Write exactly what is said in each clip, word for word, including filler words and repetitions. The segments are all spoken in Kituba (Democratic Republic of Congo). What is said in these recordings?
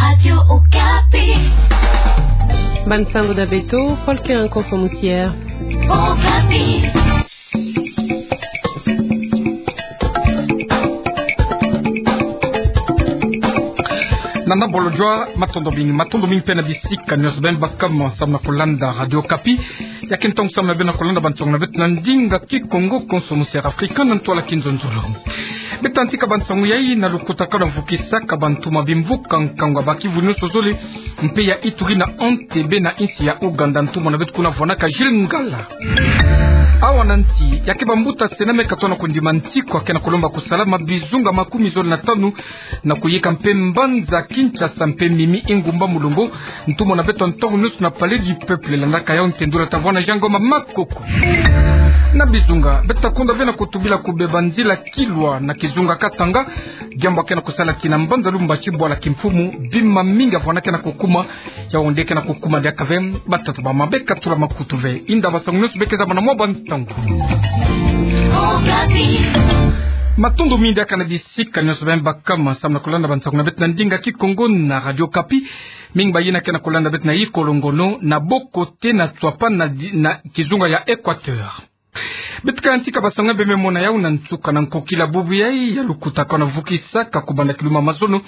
Radio Okapi. Bande sango na beto, Paul Kerenko Somusier. Okapi. Nana bolo jua, matondo mingi, matondo mingi mpe na bisika nyonso beno baka mo samu na kolanda Radio Okapi. Ya ke ntangu samu na beno na kolanda bansango na beto na ndinga Kikongo, Konso Musi Afrika, na ntwala Kinzonzolo. Beta ntika bansango yai na lukutakanu vukisaka bantu ma bimvuka nkangu ya ba kivu nyonso zole, mpe ya ituri na Entebbe na insi ya Ouganda, ntumwa na beto kuna vwanaka Gilles Ngala. Awa na nti, ya ke bambuta se na meka tona kondima nti kwa ke na kolomba kusalama bizunga makumi zole na tanu, na kuyika mpe mbanza Kinshasa mpe mimi ingumba mulongo, ntumwa na beto ntangu nyonso na Palais du Peuple, landaka yau ntendula ta vwana Jean Ngoma Makoko. Na bizunga, beta kunda ve na kutubila kubeba nzila Kilwa na kizunga Katanga, diambu ke na kusala kina mbanza Lubumbashi bwala kimfumu, bima mingi ya vwana ke na kukuma, yau nde ke na kukuma diaka ve, batata ba mama beka tula makutu ve. Inda bansango nyonso beka zaba na mwa bansango. Matondo mingi diaka na bisika nyonso beno baka mo samu na kolanda bansango na beto na ndinga Kikongo na Radio Okapi. Mingi bayina ke na kolanda beto na Ikolongono, na Bokote, na Tswapa, na di-, na kizunga ya Equateur. Beta ka ntika bansango beno me mona yau na nsuka. Na nkokila bubu yai ya lukutakanu vukisaka kubanda kilumbu ya mazono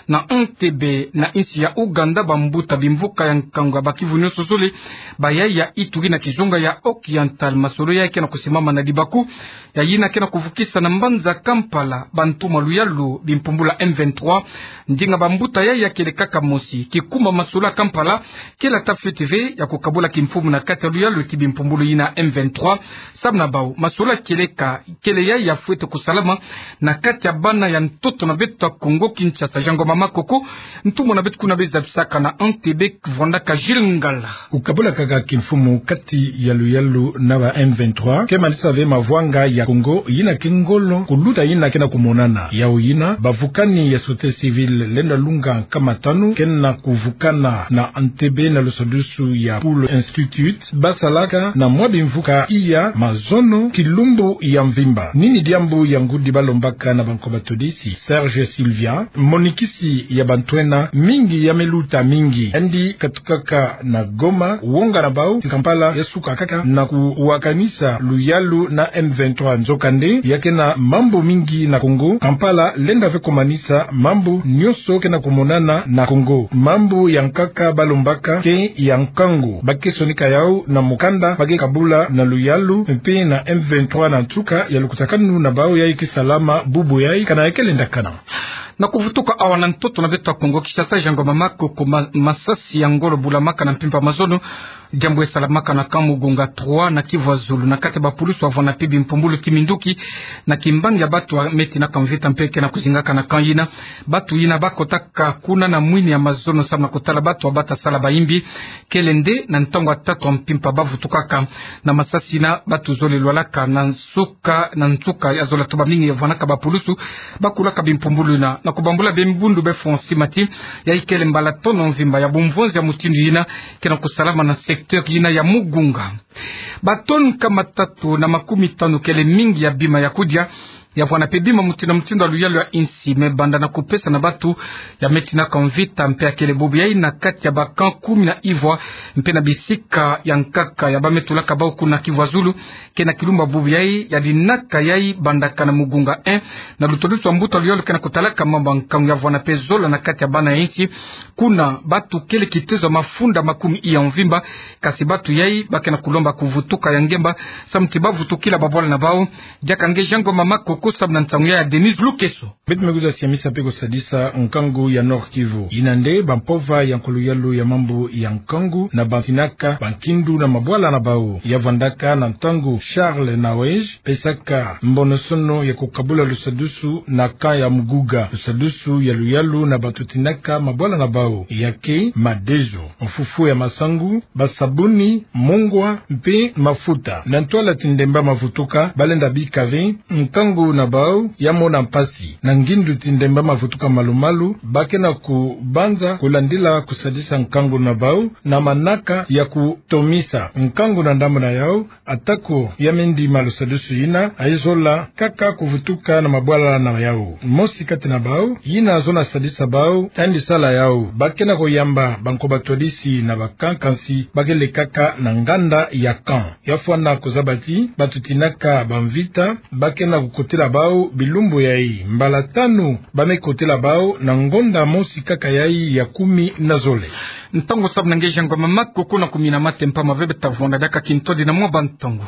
na Entebbe na insi ya Ouganda, bambuta bimvuka ya nkangu ya ba kivu nyonso zole, bayai ya ituri na kizunga ya Oriental, masolo yai ke na kusimama na libaku ya yina ke na kuvukisa na mbanza Kampala bantu ma luyalu bimpumbulu ya M vingt-trois. Ndinga bambuta yai ya kele kaka mosi: kikuma masolo ya Kampala, kele ata fweti ve ya kukabula kimfumu na kati ya luyalu ti bimpumbulu yina M vingt-trois. Samu na bau, masolo ya kieleka kele yai ya fweti kusalama na kati ya bana ya ntoto na beto ya Kongo Kinshasa. Jean Ngoma Makoko, ntumwa na beto kuna be zabisaka na Entebbe, vwandaka Gilles Ngala. Kukabula kaka kimfumu kati ya luyalu na ba M vingt-trois ke manisa ve mavwanga ya Kongo yina ke ngolo kuluta yina ke na kumonana. Yau yina, bavukani ya société civile lenda lunga nkama tanu ke na kuvukana na Entebbe na lusadusu ya Pool Institute, basalaka na mwa bimvuka iya mazono kilumbu ya mvimba. Nini diambu ya ngudi balombaka na banko batudisi? Serge Sylvia, monikisi ya bantwenia mingi ya me luta mingi, yandi katukaka na Goma, wonga na bau ti Kampala ya suka kaka na kuwakanisa luyalu na M vingt-trois. Nzokande, ya ke na mambu mingi na Kongo, Kampala lenda ve kumanisa mambu nyonso ke na kumonana na Kongo. Mambu ya nkaka balombaka ke ya nkangu. Ba ke sonika yau na mukanda ba ke kabula na luyalu mpe na M vingt-trois na nsuka ya lukutakanu na bau yai ke salama bubu yai, kana ya ke lendakana. Na kuvutuka awa na ntoto na beto ya Kongo Kinshasa, Jean Ngoma Makoko, ma-, masasi ya ngolo bulamaka na mpimpa mazono. Diambu ya salamaka na camp Mugunga trois na Kivu ya Zulu, na kati ya bapulusu wavwanda mpe bimpumbulu kiminduki na kimbangi ya batu ya me tinaka mvita mpe ke na kuzingaka na camp yina. Batu yina bakotaka kuna na mwini ya mazono samu na kutala batu wa bata sala bayimbi. Kele nde na ntangu ya tatu ya mpimpa bavutukaka na masasi yina, batu zole lwalaka na nsuka, na nsuka ya zola tuba mingi ya vwanaka bapulusu bakulaka bimpumbulu yina. Na kubambula bembundu be Francis Mati, yai kele mbala tono mvimba ya bumvonzi ya mutindu yina ke na kusalama na secteur yina ya Mugunga. Batoni nkama tatu na makumi tanu, kele mingi ya bima ya kudia, ya vwanda mpe bima mutindu na mutindu ya luyalu ya insi, me banda na kupesa na batu ya me tinaka mvita, mpe ya kele bubu yai na kati ya ba camp kumi na ivwa, mpe na bisika ya nkaka ya ba me tulaka bau kuna Kivu ya Zulu. Ke na kilumbu ya bubu yai ya dinaka yai bandaka na Mugunga un, na lutodusu wa mbuta luyalu ke na kutalaka mambu ya nkangu, ya vwanda mpe zola na kati ya bana ya insi. Kuna batu kele kitezo ya mafunda makumi iya mvimba, kasi batu yai ba ke na kulomba kuvutuka ya ngemba samu ti bavutukila babwala na bau. Diaka nge Jean Ngoma Makoko samu na nsangu ya Denise Lukeso. Beto me kwiza siamisa mpe kusadisa nkangu ya Nord-Kivu. Yina nde bampova ya nkuluyalu ya mambu ya nkangu na batinaka bankindu na mabwala na bau. Ya vwandaka na ntangu Charles Nawej pesaka mbonosono ya kukabula lusadusu na camp ya Mugunga, lusadusu ya luyalu na batu tinaka mabwala na bau, ya ke madezo, mfufu ya masangu, basabuni, mungwa, mpe mafuta. Na ntwala ti ndemba mavutuka, balenda bika ve nkangu na bau ya mona mpasi. Na ngindu ti ndemba mavutuka malu-malu, ba ke na kubanza kulandila kusadisa nkangu na bau, na manaka ya kutomisa nkangu na ndambu na yau, atako ya mendi malu sadusu yina, ayizola kaka kuvutuka na mabwala na yau. Mosi kati na bau, yina zona sadisa bau, yandi sala yau, ba ke na kuyamba banko batwadisi na bakankansi, ba ke lekaka na nganda ya camp. Ya fwana kuzaba ti, batuti naka bamvita, ba ke na kukotela bau bilumbu yayi, mbala tanu, ba me kotela bau na ngonda mosi kaka yayi ya kumi na zole. Ntangu samu na nge jangwa mama, koko na kumina mate mpamba bebe ta vwanda diaka kintwadi na mwa bantangu.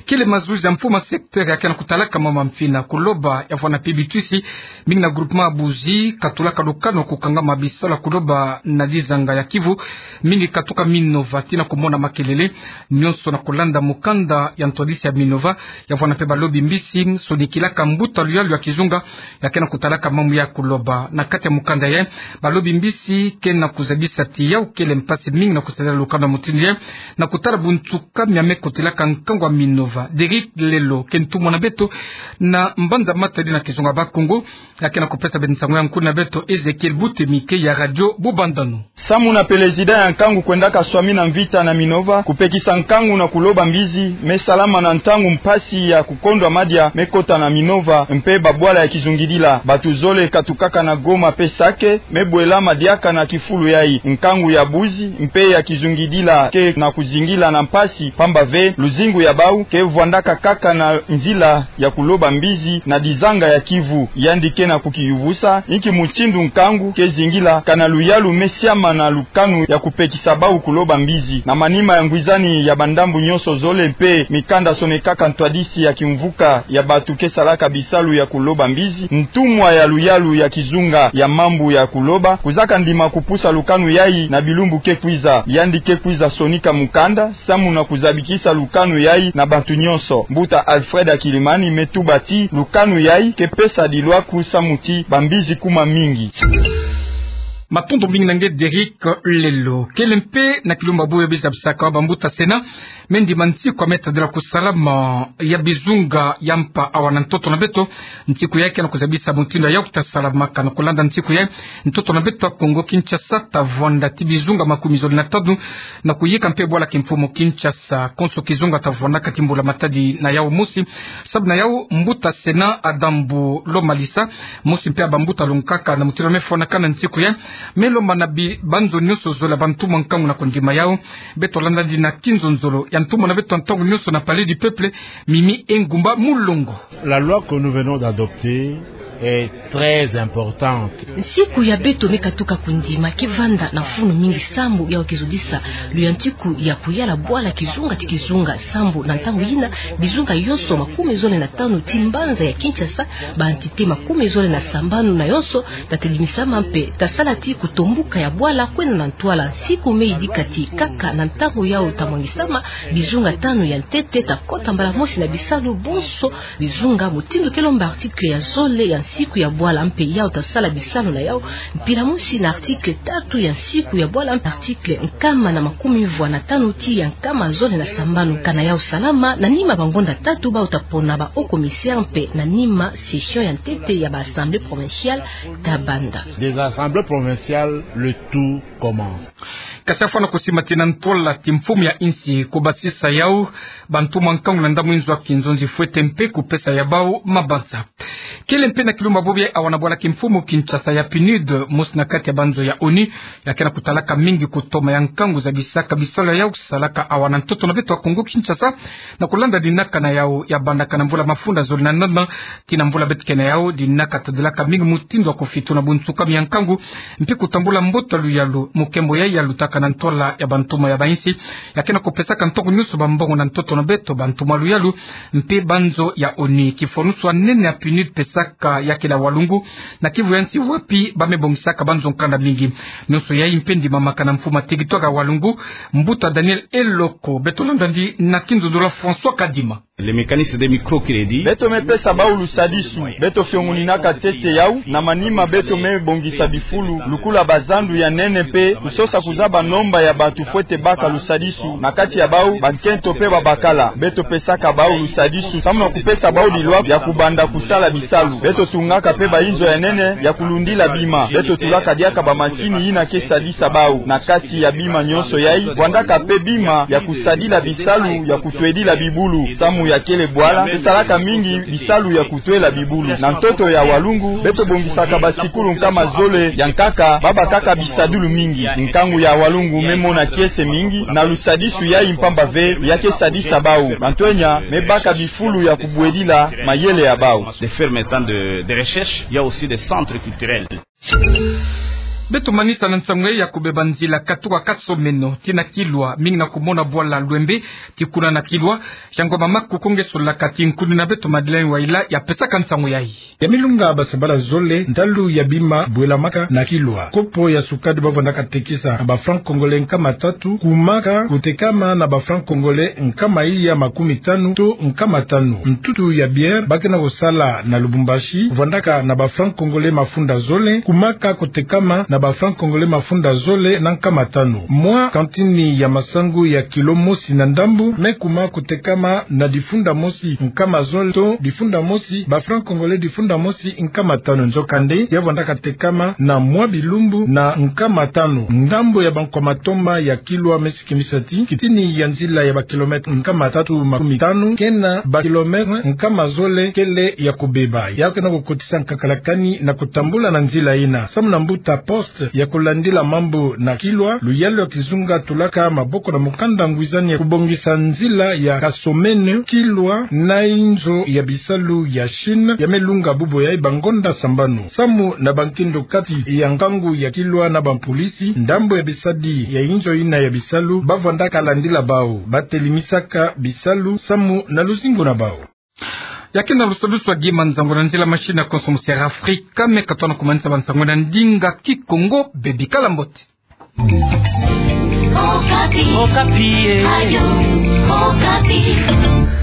Kele mazuzi ya mfumu ya secteur ya ke na kutalaka mama mfina ku Loba ya vwanda mpe bitwisi, mingi na groupement Buzi, katulaka lukanu kukangama bisalu ku Loba na dizanga ya Kivu, mingi katuka Minova tii na kumona makelele, nionso na kulanda mukanda ya ntwadisi ya Minova, ya vwanda mpe balobi mbisi, sonikilaka mbuta luyalu ya kizunga, ya ke na kutalaka mambu ya ku Loba. Na kati ya mukanda yayi, balobi mbisi ke na kuzabisa ti yau kele mpasi mingi na kusadila lukanu ya mutindu yayi, na kutala bunsuka mia me kotelaka nkangu ya Minova. Derrick Lelo ke ntumwa na beto na mbanza matadi na kizunga Bakongo, ya ke na kupesa beto nsangu ya nkuna beto Ezekiel Butemi ke ya Radio Bubandano. Samu na pelezida ya nkangu kwendaka swami na mvita na Minova, kupekisa nkangu na ku Loba mbizi me salama na ntangu mpasi ya kukondwa madia me kota na Minova mpe babwala ya kizungidila. Bato zole katukaka na Goma mpe Sake me bwelama diaka na kifulu yayi. Nkangu ya Buzi mpe ya kizungidila ke na kuzingila na mpasi, pamba ve luzingu ya bau ke vwandaka kaka na nzila ya ku Loba mbizi na dizanga ya Kivu. Yandi ke na kukiyuvusa inki mutindu nkangu ke zingila, kana luyalu me siama na lukanu ya kupekisa bau ku Loba mbizi. Na manima ya ngwizani ya bandambu nionso zole mpe mikanda sonekaka ntwadisi ya kimvuka ya bato ke salaka bisalu ya ku Loba mbizi, ntumwa ya luyalu ya kizunga ya mambu ya ku Loba kuzaka ndima kupusa lukanu yayi na bilumbu ke kwiza. Yandi ke kwiza sonika mukanda samu na kuzabikisa lukanu yayi na bato nionso. Mbuta Alfred Akilimani me tuba ti lukanu yayi ke pesa dilwaku samu ti bambizi kuma mingi. Matondo mingi na nge Derrick Lelo. Kele mpe na kilumbu bobo ya bizabisaka bambuta Sénat me ndima nsiku ya me tadila kusalama ya bizunga ya mpa awa na ntoto na beto. Nsiku yayi ke na kuzabisa mutindu yau ke ta salamaka. Na kulanda nsiku yayi, ntoto na beto ya Kongo Kinshasa ta vwanda tii bizunga makumi zole na tanu na kuyika mpe bwala kimfumu Kinshasa. Konso kizunga ta vwandaka tii mbula matadi na yau mosi. Sabu na yau, mbuta Sénat Adam Bulo Malisa, mosi mpe ya bambuta lungkaka na mutindu ya me fwanakana nsiku yayi, me lomba na bi-, banzo nionso zole ya bantumwa nkangu na kundima yau. Beto landa nde na kinzonzolo ya ntumwa na beto ya ntangu nionso na Palais du Peuple, Mimi Engumba Mulongo. La loi que nous venons d'adopter est très importante. Nsiku ya beto me katuka kundima ke vanda na mfunu mingi sambu yau ke zodisa luyantiku ya kuyala bwala kizunga tii kizunga, sambu na ntangu yina bizunga yonso makumi zole na tanu tii mbanza ya Kinshasa, ba entité makumi zole na sambanu na yonso ta telimisama mpe ta sala tii kutombuka ya bwala kwenda na ntwala. Nsiku me yidika tii kaka na ntangu yau ta mwangisama, bizunga tanu ya ntete ta kota mbala mosi na bisalu, bonso bizunga mutindu ke lomba article ya zole ya nsiku ya bwala mpe yau ta sala bisalu na yau, mpila mosi na article tatu ya nsiku ya bwala mpe article nkama na makumi mvwa na tanu tii ya nkama zole na sambanu. Kana yau salama, na nima bangonda tatu bau ta pona ba hauts commissaires mpe na nima session ya ntete ya ba assemblées provinciales ta banda. Des assemblées provinciales, le tour commence. Kasi afwana kusimatina ntwala ti mfumu ya insi kubasisa yau bantumwa nkangu na ndambu nzo ya kinzonzi fwete mpe kupesa ya bau mabanza. Kele mpe na kilumbu bobo yayi awa na bwala kimfumu Kinshasa ya PNUD, mosi na kati ya banzo ya ONU ya ke na kutalaka mingi kutoma ya nkangu zabisaka bisalu ya yau salaka awa na ntoto na beto ya Kongo Kinshasa, na kulanda dinaka na yau ya bandaka na mvula mafunda zole na nana tii na mvula beto ke na yau, dinaka tadilaka mingi mutindu ya kufituna bunsukami ya nkangu mpe kutambula mbote ya luyalu. Mukembo yayi ya lutaka na ntwala ya bantumwa ya ba insi ya ke na kupesaka ntangu nionso bambongo na ntoto na beto, bantumwa ya luyalu mpe banzo ya ONU. Kifwanusu ya nene ya PNUD pesaka ya kele ya Walungu, na Kivu ya nsi wapi ba me bongisaka banzo nkanda mingi. Nionso yayi mpe ndimamaka na mfumu ya territoire ya Walungu, mbuta Daniel Eloko. Beto landa nde na kinzonzolo ya François Kadima. Le mécanisme de microcrédit. Beto me pesa bau lusadisu. Beto fiongoninaka ntete yau, na manima beto me bongisa bifulu, lukula bazandu ya nene mpe kusosa kuzaba nomba ya bantu fwete baka lusadisu, na kati ya bau, bankento mpe babakala. Beto pesaka bau lusadisu, samu na kupesa bau lilwa ya kubanda kusala bisalu. Beto tungaka mpe bainzo ya nene ya kulundila bima. Beto tulaka diaka bamasini yina ke sadisa bau. Na kati ya bima nyonso yai, vwandaka mpe bima ya kusadila bisalu ya kutwedila bibulu, samu ya kele bwala, mpe salaka mingi bisalu ya kutwela bibulu. Na ntoto ya Walungu, beto bongisaka basikulu nkama zole ya nkaka, babakaka bisadulu mingi. Nkangu ya Walungu me mona kiese mingi na lusadisu yai mpamba ve ya ke sadisa bau. Bantu enya me baka bifulu ya kubwedila mayele ya bau. Des fermes étangs de, de recherche, il y a aussi des centres culturels. Beto manisa na nsangu ya kubeba nzila katuka Kasomeno tii na Kilwa, mingi na kumona bwala Lwembe tii kuna na Kilwa. Yango mama kukongesolaka ti nkuni na beto Madeleine Waila ya pesaka nsangu yai. Ya milunga basabala zole, ntalu ya bima bwelamaka na Kilwa. Kopo ya sukari bavwandaka tekisa na ba francs congolais nkama tatu, kumaka kutekama na ba francs congolais nkama iya makumi tanu to nkama tanu. Ntutu ya bière ba ke na kusala na Lubumbashi, vwandaka na ba francs congolais mafunda zole, kumaka kutekama na ba francs congolais mafunda zole na nkama tanu. Mwa kantini ya masangu ya kilo mosi na ndambu me kuma kutekama na difunda mosi nkama zole to difunda mosi, ba francs congolais difunda mosi nkama tanu. Nzokande, ya vwandaka tekama na mwa bilumbu na nkama tanu. Ndambu ya bankwa matomba ya Kilwa me sikimisa ti kintini ya nzila ya ba kilomètres nkama tatu makumi tanu ke na ba kilomètres nkama zole kele ya kubeba. Ya ke na kukotisa nkakala kani na kutambula na nzila yina. Samu na mbuta Poste ya kulandila mambu na Kilwa, luyalu ya kizunga tulaka maboko na mukanda ngwizani ya kubongisa nzila ya Kasomeno, Kilwa na inzo ya bisalu ya Chine ya me lunga bubu yai bangonda sambanu. Samu na bankindo kati ya nkangu ya Kilwa na bampolisi, ndambu ya bisadi ya inzo yina ya bisalu bavwandaka landila bau, batelimisaka bisalu samu na luzingu na bau. Ya ke na lusadusu wa Guy Manzango na nzila machine ya konso mu Sierra Africa, me ka tuna kumanisa bansangu na ndinga Kikongo, bebi kala mbote. Okapi. Okapi, eh. Radio Okapi.